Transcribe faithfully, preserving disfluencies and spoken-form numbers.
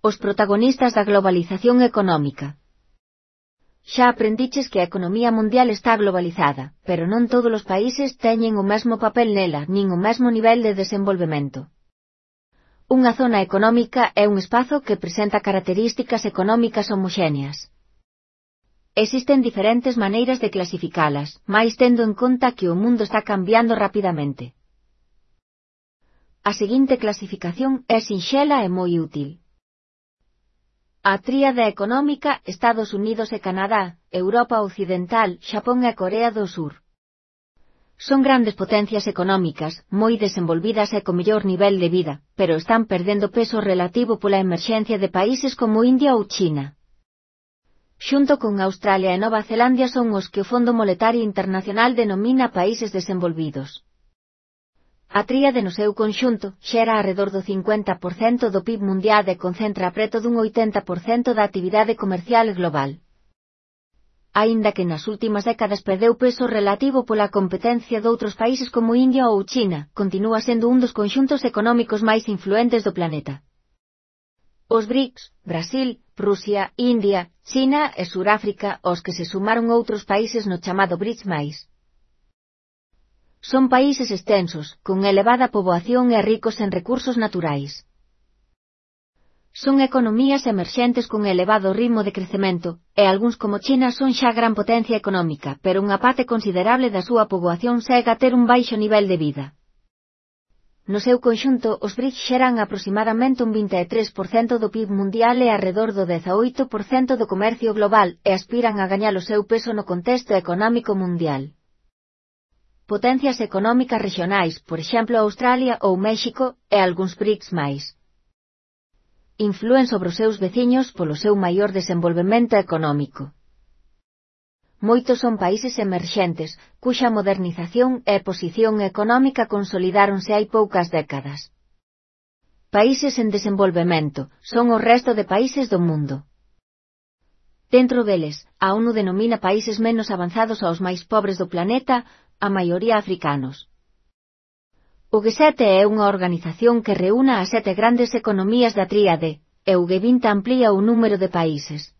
Os protagonistas da globalización económica. Xa aprendiches que a economía mundial está globalizada, pero non todos os países teñen o mesmo papel nela, nin o mesmo nivel de desenvolvemento. Unha zona económica é un espazo que presenta características económicas homoxéneas. Existen diferentes maneiras de clasificalas, máis tendo en conta que o mundo está cambiando rapidamente. A seguinte clasificación é sinxela e moi útil. A tríade económica Estados Unidos e Canadá, Europa Occidental, Xapón e Corea do Sur. Son grandes potencias económicas, moi desenvolvidas e co mellor nivel de vida, pero están perdendo peso relativo pola emerxencia de países como India ou China. Xunto con Australia e Nova Zelandia son os que o Fondo Monetario Internacional denomina países desenvolvidos. A tríade no seu conxunto xera arredor do cincuenta por cento do P I B mundial e concentra preto dun oitenta por cento da actividade comercial global. Aínda que nas últimas décadas perdeu peso relativo pola competencia doutros países como India ou China, continúa sendo un dos conxuntos económicos máis influentes do planeta. Os BRICS, Brasil, Rusia, India, China e Suráfrica, aos que se sumaron outros países no chamado BRICS máis. Son países extensos, con elevada poboación e ricos en recursos naturais. Son economías emerxentes con elevado ritmo de crecemento, e algúns como China son xa gran potencia económica, pero unha parte considerable da súa poboación segue a ter un baixo nivel de vida. No seu conxunto, os BRICS xeran aproximadamente un vinte e tres por cento do P I B mundial e arredor do dezaoito por cento do comercio global, e aspiran a gañar o seu peso no contexto económico mundial. Potencias económicas regionais, por exemplo Australia ou México, e algúns BRICS máis. Inflúen sobre os seus veciños polo seu maior desenvolvemento económico. Moitos son países emerxentes, cuxa modernización e posición económica consolidáronse hai poucas décadas. Países en desenvolvemento son o resto de países do mundo. Dentro deles, a ONU denomina países menos avanzados aos máis pobres do planeta, a maioría africanos. O G sete é unha organización que reúna as sete grandes economías da tríade, e o G vinte amplía o número de países.